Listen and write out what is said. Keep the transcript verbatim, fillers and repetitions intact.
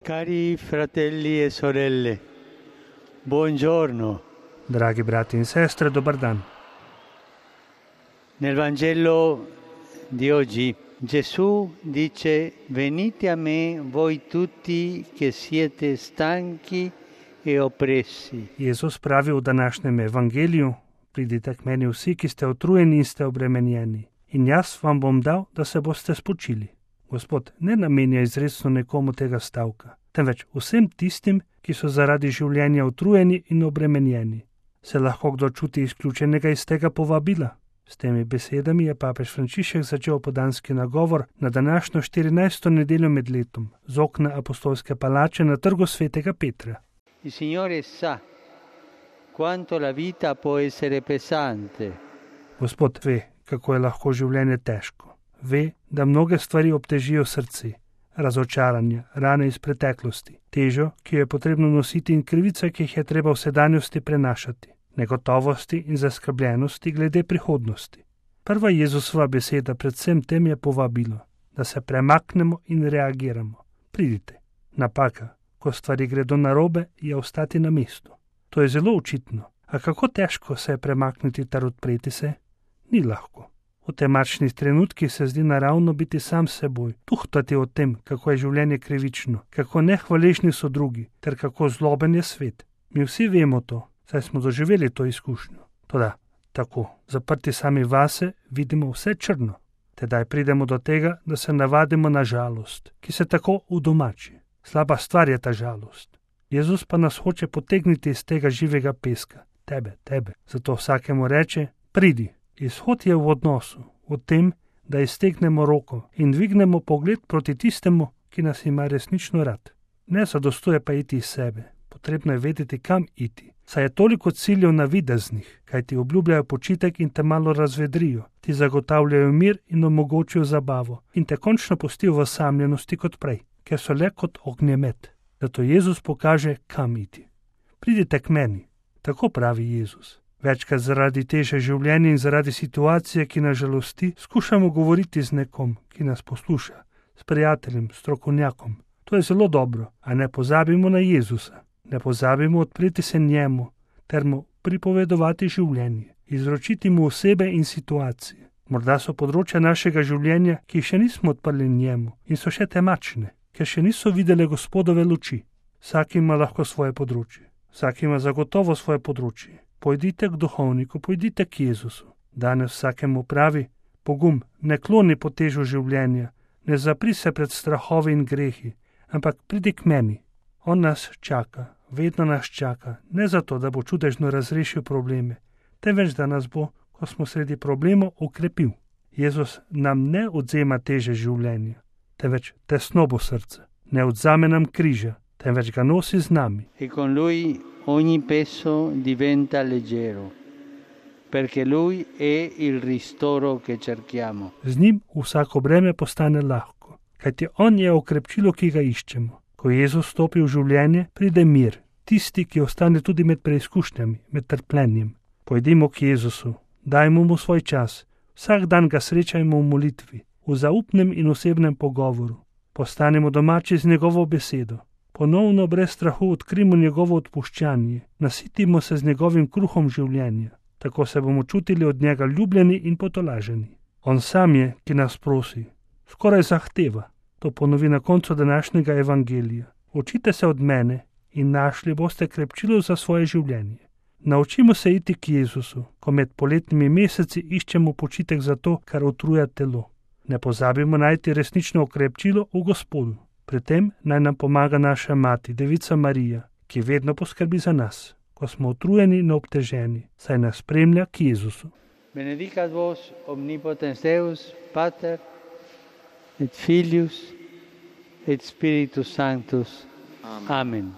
Cari fratelli e sorelle, buongiorno. Dragi brati in sestre, dobar dan. Nel Vangelo di oggi Gesù dice: venite a me voi tutti che siete stanchi e oppressi. Jezus pravi v današnjem evangeliju: pridite k meni vsi, ki ste utrujeni in ste obremenjeni, in jaz vam bom dal, da se boste spočili. Gospod ne namenja izrecno nekomu tega stavka, temveč vsem tistim, ki so zaradi življenja utrujeni in obremenjeni. Se lahko kdo čuti izključenega iz tega povabila? S temi besedami je papež Frančišek začel opoldanski nagovor na današnjo štirinajsto nedeljo med letom z okna apostolske palače na trgu svetega Petra. Il Signore sa quanto la vita può essere pesante. Gospod ve, kako je lahko življenje težko. Ve, da mnoge stvari obtežijo srce, razočaranja, rane iz preteklosti, težo, ki jo je potrebno nositi, in krivice, ki jih je treba v sedanjosti prenašati, negotovosti in zaskrbljenosti glede prihodnosti. Prva Jezusova beseda predvsem tem je povabilo, da se premaknemo in reagiramo. Pridite. Napaka, ko stvari gredo narobe, je ostati na mestu. To je zelo očitno. A kako težko se je premakniti ter odpreti se? Ni lahko. V temačnih trenutkih se zdi naravno biti sam s seboj, tuhtati o tem, kako je življenje krivično, kako nehvaležni so drugi, ter kako zloben je svet. Mi vsi vemo to, saj smo doživeli to izkušnjo. Toda, tako, zaprti sami vase, vidimo vse črno. Tedaj pridemo do tega, da se navadimo na žalost, ki se tako udomači. Slaba stvar je ta žalost. Jezus pa nas hoče potegniti iz tega živega peska. Tebe, tebe. Zato vsakemu reče: pridi. Izhod je v odnosu, v tem, da iztegnemo roko in dvignemo pogled proti tistemu, ki nas ima resnično rad. Ne zadostuje pa iti iz sebe, potrebno je vedeti, kam iti. Saj je toliko ciljev navideznih, kaj ti obljubljajo počitek in te malo razvedrijo, ti zagotavljajo mir in omogočijo zabavo in te končno pustijo v osamljenosti kot prej, ker so le kot ognjemet. Zato Jezus pokaže, kam iti. Pridite k meni, tako pravi Jezus. Večkrat zaradi teže življenja in zaradi situacije, ki nas žalosti, skušamo govoriti z nekom, ki nas posluša, s prijateljem, strokovnjakom. To je zelo dobro, a ne pozabimo na Jezusa. Ne pozabimo odpreti se njemu, ter mu pripovedovati življenje, izročiti mu osebe in situacije. Morda so področja našega življenja, ki jih še nismo odprli njemu in so še temačne, ker še niso videle Gospodove luči. Vsak ima lahko svoje področje, vsak ima zagotovo svoje področje. Pojdite k duhovniku, pojdite k Jezusu. Danes vsakemu pravi: pogum, ne kloni po težu življenja, ne zapri se pred strahovi in grehi, ampak pridi k meni. On nas čaka, vedno nas čaka, ne zato, da bo čudežno razrešil probleme, temveč da nas bo, ko smo sredi problemov, okrepil. Jezus nam ne odzema teže življenja, temveč tesnobo srca. Ne odzame nam križa, temveč ga nosi z nami. E con lui ogni peso diventa leggero, perché lui è il ristoro che cerchiamo. Z njim vsako breme postane lahko, kajti on je okrepčilo, ki ga iščemo. Ko Jezus stopi v življenje, pride mir, tisti, ki ostane tudi med preizkušnjami, med trpljenjem. Pojdimo k Jezusu, dajmo mu svoj čas, vsak dan ga srečajmo v molitvi, v zaupnem in osebnem pogovoru. Postanemo domači z njegovo besedo. Ponovno brez strahu odkrimo njegovo odpuščanje, nasitimo se z njegovim kruhom življenja. Tako se bomo čutili od njega ljubljeni in potolaženi. On sam je, ki nas prosi, skoraj zahteva. To ponovi na koncu današnjega evangelija. Učite se od mene in našli boste krepčilo za svoje življenje. Naučimo se iti k Jezusu, ko med poletnimi meseci iščemo počitek za to, kar utruja telo. Ne pozabimo najti resnično okrepčilo v Gospodu. Pri tem naj nam pomaga naša mati, Devica Marija, ki vedno poskrbi za nas, ko smo utrujeni in obteženi, saj nas spremlja k Jezusu. Benedicat vos omnipotens Deus, Pater, et Filius, et Spiritus Sanctus. Amen. Amen.